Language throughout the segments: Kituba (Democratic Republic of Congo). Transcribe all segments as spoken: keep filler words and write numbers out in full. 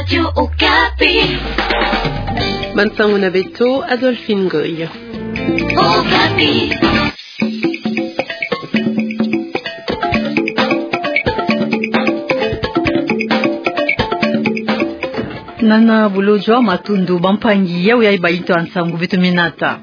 Radio Okapi. Bansango na beto, Adolphine Ngoy. Okapi. Nana bulo jwa matundu bampangi, yawu yayi ba yintu ya nsangu beto me nata.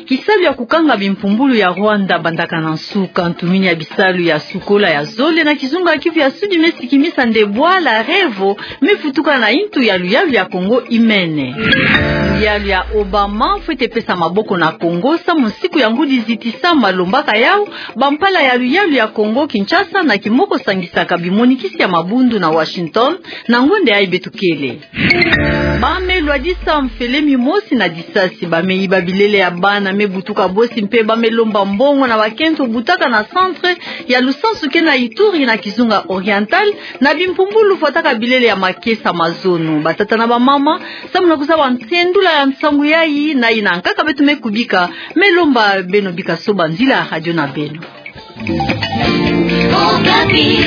Kisalu ya kukanga bimpumbulu ya Rwanda bandaka na nsuka. Ntumini ya bisalu ya sukola ya zole na kizunga ya Kivu ya Sudi me sikimisa nde bwala Revo me vutuka na yintu ya luyalu ya Kongo imene. Luyalu ya Obama fwete pesa maboko na Kongo samu nsiku ya ngudi zitisama, lombaka yawu bampala ya luyalu ya Kongo Kinshasa na kimoko sangisaka bimonikisi ya mabundu na Washington, na ngonda yayi beto kele. Ba me lwadisa mfele mimosi na disasi, ba me yiba bilele ya bana me butuka bosi mpe ba me lomba mbongo na bakento butaka na centre ya lusansu ke na Ituri na kizunga oriental, na bimpumbulu fwataka bilele ya makesa mazono. Batata na bamama, samu na kuzaba nsendula ya nsangu yayi na yina nkaka beto me kubika, me lomba beno bika soba nzila ya radio na beno. Okapi.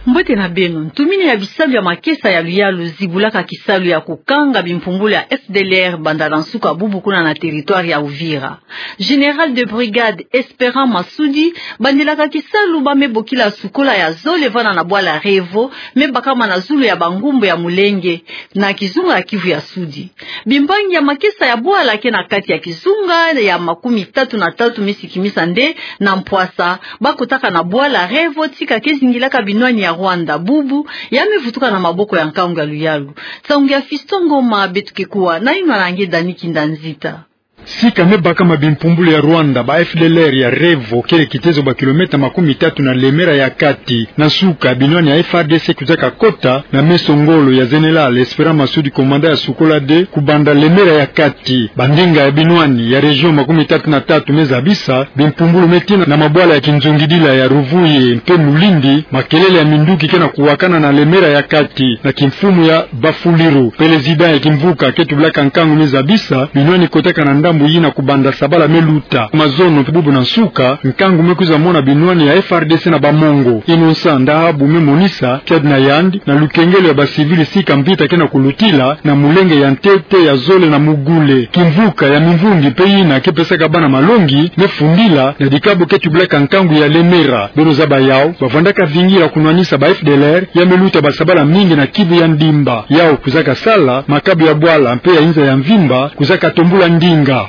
Mbote na beno. Ntumini ya bisalu ya makesa ya luyalu zibulaka kisalu ya kukanga bimpumbulu ya F D L R banda na nsuka bubu kuna na territoire ya Uvira. Général de brigade Espérant Masudi bandilaka kisalu ba me bokila sukola ya zole vana na bwala Revo, me bakama na zulu ya bangumbu ya Mulenge, na kizunga ya Kivu ya Sudi. Bimbangi ya makesa ya bwala ke na kati ya kizunga ya makumi tatu na tatu me sikimisa nde na mpwasa, ba kotaka na bwala Revo tika ke zingilaka binwani ya Rwanda bubu, ya me vutuka na maboko ya nkangu ya luyalu. Nsangu ya Fiston Ngoma, beto ke kuwa na yinwa na nge Dani Kindanzita. Sika me bakama bimpumbulu ya Rwanda, ba F D L R ya Revo, kele kitezo ba kilomètre makumi tatu na Lemera ya kati. Na nsuka, binwani ya F A R D C kwiza kakota na meso ngolo ya Général Espérant Masudi, commandant ya sukola de, kubanda Lemera ya kati. Bandinga ya binwani ya région makumi tatu na tatu me zabisa, bimpumbulu me tina na mabwala ya kinzungidila ya Ruvuye mpe Mulindi, makelele ya minduki ke na kuwakana na Lemera ya kati, na kimfumu ya Bafuliru. Président ya kimvuka ke tubilaka nkangu me zabisa, binwani kotaka na ndambu yina kubanda sabala me luta. Mazono mpe bubu na nsuka, nkangu me kwiza mona binwani ya F A R D C na ba Mongo. Innocent Ndahabu me monisa kiadi na yandi, na lukengelo ya ba civil sika mvita ke na kulutila, na Mulenge ya ntete, ya zole na Mugule. Kimvuka ya Mimvungi mpe yina ke pesaka bana malongi, me fundila na dikabu ke tubilaka nkangu ya Lemera. Beno zaba yawu, bavwandaka vingila kunwanisa ba F D L R, ya me luta ba sabala mingi na Kivu ya Ndimba. Yawu kwiza kasala, makabu ya bwala mpe ya inza ya mvimba kwiza katombula ndinga.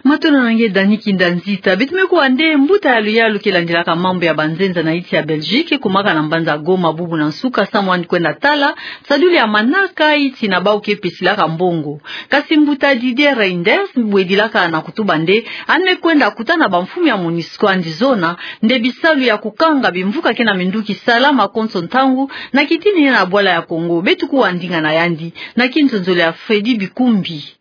Matondo na nge Dani Kindanzita. Beto me kuwa nde mbuta ya luyalu ke landilaka mambu ya banzenza na yinsi ya Belgique, kumaka na mbanza Goma bubu na nsuka, samu yandi kwenda tala nsadulu ya manaka, yina bawu ke pesilaka mbongo. Kasi mbuta Didier Reynders bwedilaka na kutuba nde yandi me kwenda kutana bamfumu ya MONUSCO, yandi zona nde bisalu ya kukanga bimvuka ke na minduki salama konso ntangu, na kitini na bwala ya Congo. Beto kuwa ndinga na yandi, na kinzonzolo ya Freddy Bikumbi.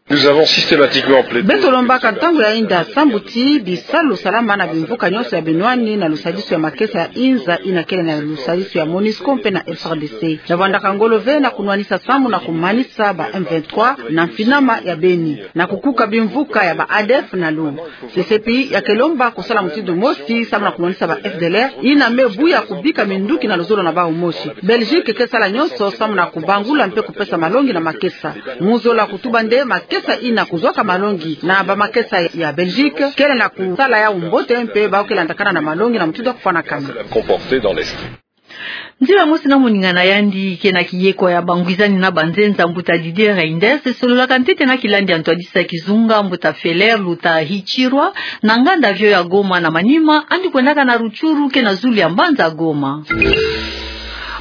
Nous avons systématiquement plaidé. Beto lombaka ntangu ya yinda sambu ti bisalu salama na bimvuka nyonso ya binwani na lusadisu ya makesa ya inza yina kele na lusadisu ya MONUSCO mpe na F A R D C. Ya vwandaka ngolo ve na kunwanisa samu na kumanisa ba M vingt-trois na mfinama ya Beni, na kukuka bimvuka ya ba A D F na lu. C C P ya ke lomba kusala mutindu mosi samu na kunwanisa ba F D L R yina me buya kubika minduki na luzolo na bawu mosi. Belgique ke sala nyonso samu na kubangula mpe kupesa malongi na makesa. Mu zola kutuba nde makesa yina kuzwaka malongi na bamakesa ya Belgique kele na kusala yawu mbote mpe bawu ke landakana na malongi na mutindu ya kufwanakana. Comporté dans l'esprit. Nzila mosi na moninga na yandi ke na kiyeko ya bangwizani na banzenza, mbuta Didier Reynders sololaka ntete na kilandi ya ntwadisi ya kizunga, mbuta Feller Luta Hichirwa, na nganda avion ya Goma, na manima yandi kwendaka na Rutshuru ke na zulu ya mbanza Goma.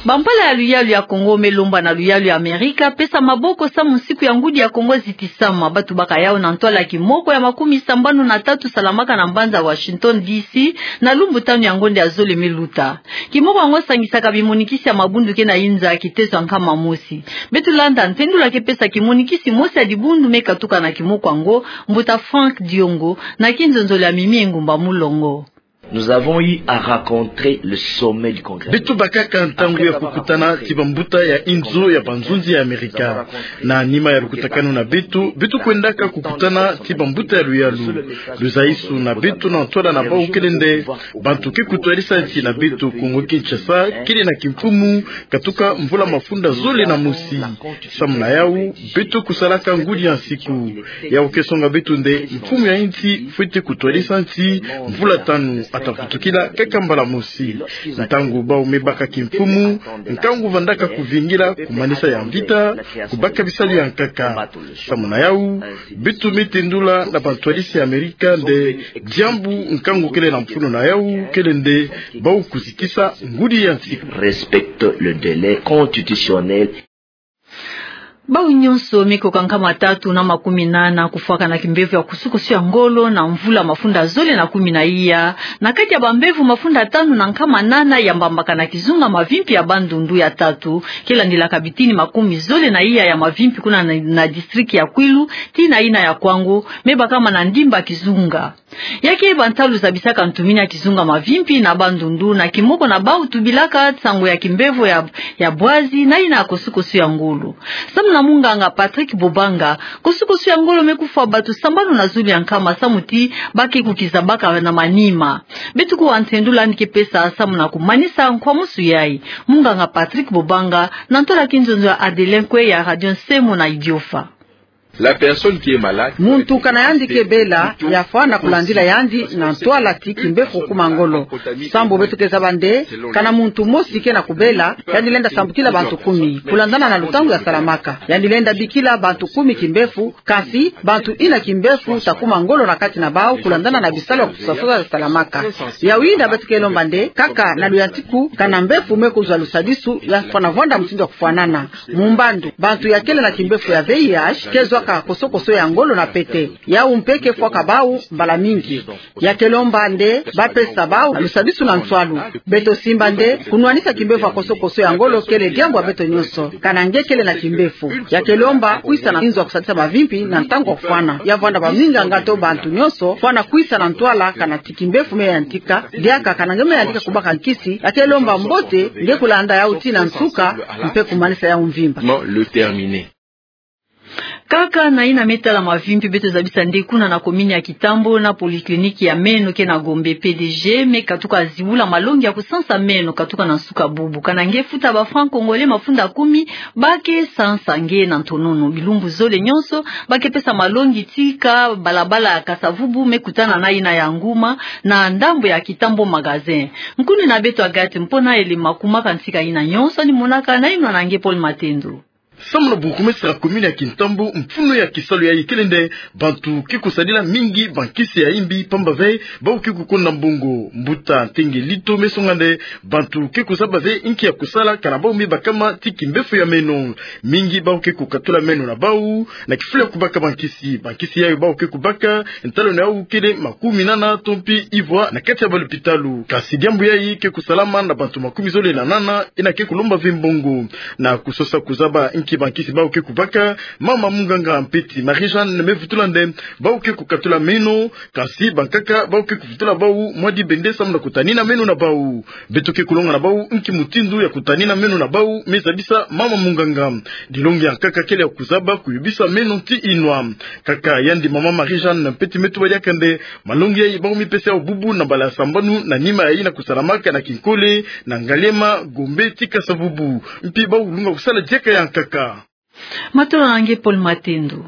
Bampala ya luyalu ya Congo me lomba na luyalu ya Amerika pesa maboko samu nsiku ya ngudi ya Congo zitisama. Ba tubaka yawu na ntwala ya kimoko ya makumi sambanu na tatu salamaka na mbanza Washington D C na lumbu tanu ya ngonda ya zole me luta. Kimoko yango sangisaka bimonikisi ya mabundu ke na inza kitezo ya nkama mosi. Beto landa ntendula ke pesa kimonikisi mosi ya dibundu me katuka na kimoko yango, mbuta Franck Diongo, na kinzonzolo ya Mimi Engumba Mulongo. Nous avons eu à rencontrer le sommet du Congrès. Beto bakaka ntangu ya kukutana ti bambuta ya inzo ya banzonzi ya Amerika. Na nima ya lukutakanu na beto, beto kwendaka kukutana ti bambuta ya luyalu. Luzaisu na beto na ntwala na bau kele nde bantu ke kutwadisa nti na beto, Kongo Kinshasa kele na kimfumu katuka mvula mafunda zole na mosi. Samu na yau, beto kusalaka ngudi ya nsiku. Yau ke songa beto nde mfumu ya insi fwete kutwadisa nti mvula tanu, ata vutukila kaka mbala mosi. Ntangu bau me baka kimfumu, nkangu vandaka kuvingila, kumanisa ya mvita, kubaka bisalu ya nkaka. Samu na yau, beto me tendula na bantwadisi ya Amerika nde diambu nkangu kele na mfunu na yau kele nde bau kuzikisa ngudi ya nsiku. Respecte le délai constitutionnel. Bau nyonso me koka nkama tatu na makumi nana kufwakana kimbevo ya kusukusu ya ngolo na mvula mafunda zole na kumi na iya, na kati ya bambevo mafunda tanu na nkama nana ya mbambaka na kizunga mavimpi ya Bandundu ya tatu, ke landilaka bitini makumi zole na iya ya mavimpi kuna na, na district ya Kwilu, tii na yina ya Kwango, me bakama na ndimba kizunga. Ya ke bantalu zabisaka ntumini ya kizunga mavimpi na Bandundu, na kimoko na bau tubilaka nsangu ya kimbevo ya, ya bwazi, na yina ya kosukosu ya ngolo. Samu na munganga Patrick Bobanga, kosukosu ya ngolo me kufwa bato sambanu na zulu ya nkama samu ti ba ke kukizabaka na manima. Beto kuwa ntendula yandi ke pesa samu na kumanisa nkwamusu yayi. Munganga Patrick Bobanga, na ntwala kinzonzo ya Adelin Kwe ya Radio Nsemo na Idiofa. La personne qui est malade. Muntu kana yandi ke bela, yafwa na kulandila yandi na ntwala ti kimbevo kuma ngolo. Sambu beto ke zaba nde, kana muntu mosi ke na kubela, yandi lenda sambukila bantu kumi, kulandana na lutangu ya salamaka. Yandi lenda bikila bantu kumi kimbevo, kansi bantu ina kimbevo ta kuma ngolo na kati na bau, kulandana na bisalu ya kusasosa ya salamaka. Yawinda beto ke lomba nde, kaka na luyantiku, kana mbevo me kuzwa lusadisu, yafwa na vwanda mutindu ya kufwanana. Mu mbandu, bantu ya kele na kimbevo ya V I H ke zwaka kosokoso ya ngolo na pete. Yau mpe ke fwaka bau mbala mingi. Ya ke lomba nde ba pesa bau lusadisu na nswalu. Beto simba nde kunwanisa kimbevo ya kosokoso ya ngolo kele diambu ya beto nyonso, kana nge kele na kimbevo. Ya ke lomba kwisa na inzo ya kusadisa mavimpi na ntangu ya kufwana. Ya vwanda baminganga to bantu nyonso fwana kwisa na ntwala kana ti kimbevo me yantika, diaka kana nge me yantika kubaka nkisi, ya ke lomba mbote nge kulanda yau tii na nsuka, mpe kumanisa yau mvimba. Le terminer. Kaka na yina me tala mavimpi, beto zabisa nde kuna na commune ya Kitambo na polyclinique ya meno ke na Gombe, P D G me katuka zibula malongi ya kusansa meno katuka na nsuka bubu. Kana nge futa ba francs congolais mafunda kumi, ba ke sansa nge na ntonono. Bilumbu zole nyonso ba ke pesa malongi tii ka balabala ya Kasa-Vubu me kutana na yina ya Nguma na ndambu ya Kitambo Magasin. Nkuni na beto Agathe Mpona Elema, kumaka ntika yina nyonso yandi monaka na yinwa na nge Paul Matendo. Samu na burgmestre ya commune ya Kitambo, mfunu ya kisalu yayi kele nde bantu ke kusadila mingi bankisi ya imbi, pamba ve bau ke kukonda mbongo. Mbuta Ntenge Lito me songa nde bantu ke kuzaba ve inki ya kusala kana bau me bakama ti kimbevo ya meno. Mingi bau ke kukatula meno na bau na kifulu ya kubaka bankisi. Bankisi yayo bau ke kubaka, ntaleno yau kele makumi nana to mpi ivwa na kati ya balopitalo. Kansi diambu yayi ke kusalama na bantu makumi zole na nana, yina ke kulomba ve mbongo. Na kusosa kuzaba inki bankisi bau ke kubaka, mama munganga Mpeti Marie-Jeanne me vutula nde bau ke kukatula meno, kansi bankaka bau ke kuvutula bau mwa dibende samu na kutanina meno na bau. Beto ke kulonga na bau inki mutindu ya kutanina meno na bau me zabisa mama munganga. Dilongi ya nkaka kele ya kuzaba kuyobisa meno tii inwa. Kaka yandi mama Marie-Jeanne Mpeti me tuba diaka nde malongi yayi bau me pesa yau bubu na mbala ya sambanu na nima ya yina kusalamaka na kinkole na Ngaliema, Gombe tii Kasa-Vubu. Mpi bau lunga kusala diaka ya nkaka. Matondo na nge Paul Matendo.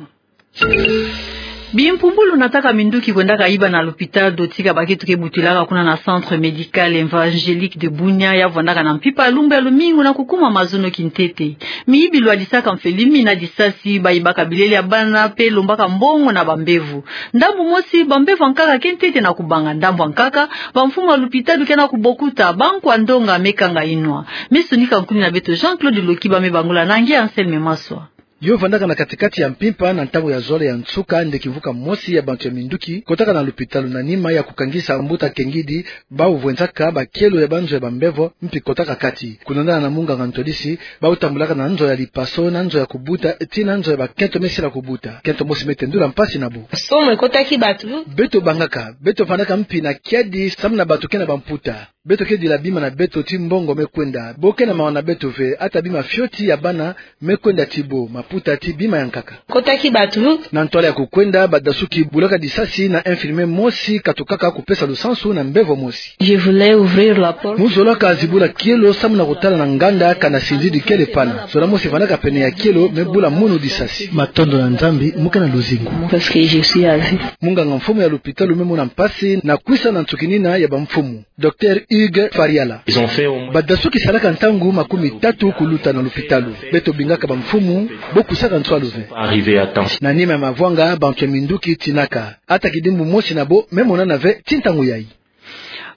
Bimpumbulu nataka minduki kwendaka iba na lopitalo tii ka bakento ke butilaka kuna na Centre Médical Évangélique de Bunia, ya vwandaka na mpimpa ya lumbu ya lumingu na kukuma mazono kintete. Miyibi lwadisaka mfeli mina disasi, bayibaka bilele ya bana mpe lombaka mbongo na bambevo. Ndambu mosi, bambevo ya nkaka ke ntete na kubanga. Ndambu ya nkaka, bamfumu ya lopitalo ke na kubokuta, bankwa ndonga me kanga inwa. Me sonika nkuni na beto Jean-Claude Loki, ba me bangula na nge Anselme Maswa. Yo vandaka na kati-kati ya mpimpa na ntangu ya zole ya nsuka, nde kimvuka mosi ya bantu ya minduki kotaka na lupitalu na nima ya kukangisa mbuta kengidi, bau vwenzaka bakielo ya banzo ya bambevo, mpi kotaka kati. Kulendana na munganga ntwadisi, bau tambulaka na nzo ya lipaso, na nzo ya kubuta, tii na nzo ya bakento me sila kubuta. Kento mosi me tendula mpasi na bo. Somo ekotaki bato. Beto bangaka, beto vandaka mpi na kiadi samu na bato ke na bamputa. Beto ke dila bima na beto ti mbongo me kwenda. Bo ke na mawa na beto ve, ata bima fioti ya bana me kwenda ti bo, maputa ti bima ya nkaka. Kotaki bato. Na ntwala ya kukwenda, badasuki bulaka disasi na infirmier mosi, katukaka kupesa lusansu na mbevo mosi. Je voulais ouvrir la porte. Mu zolaka zibula kielo samu na kutala na nganda kana sinzidi kele pana. Zola mosi vandaka pene ya kielo me bula munu disasi. Matondo na Nzambi, mu ke na luzingu. Parce que je suis à vie. Munganga mfumu ya lupitalu me mona mpasi na kwisa na nsukinina ya bamfumu. Docteur Hugues Fariala. Ils ont fait au moins... Badasuki salaka ntangu makumi tatu kuluta na lupitalu. Beto bingaka bamfumu, bo kwisaka nswalu ve. Arrivé à temps. Na nima ya mavwanga, bantu ya minduki tinaka. Ata kidimbu mosi na bo me monana ve tii ntangu yayi.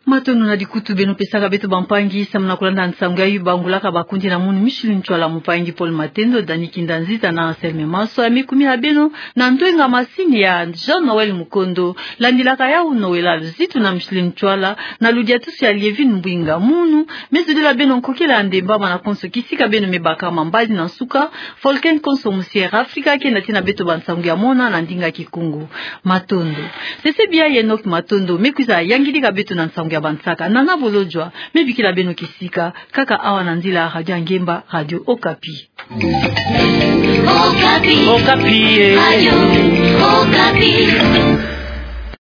Matondo na likutu beno pesaka beto bampangi, samu na kulanda nsangu yayi bangulaka bakundi na munu Micheline Ntwala, mumpangi Paul Matendo, Dani Kinda Nzita na Anselme Maswa, ya me kumina beno na ndwenga masini ya Jean Noël Mukondo. Landilaka yawu Noëlla Luzitu na Micheline Ntwala, na ludiatusu ya Lievine Mbwinga. Munu me zodila beno nkokila ya ndemba mana konso kisika beno me bakama. Mbadi na nsuka, Volcan konso mosi ya Air Africa ke na tina beto bansangu ya mona na ndinga Kikongo. Matondo. Sese bia Enoch Matondo me kwiza yangidika beto na nsangu ya bansaka. Nana Bolodjwa me bikila beno kisika kaka awa na nzila ya Radio Ngemba, Radio Okapi. Okapi. Okapi, eh. Radio Okapi.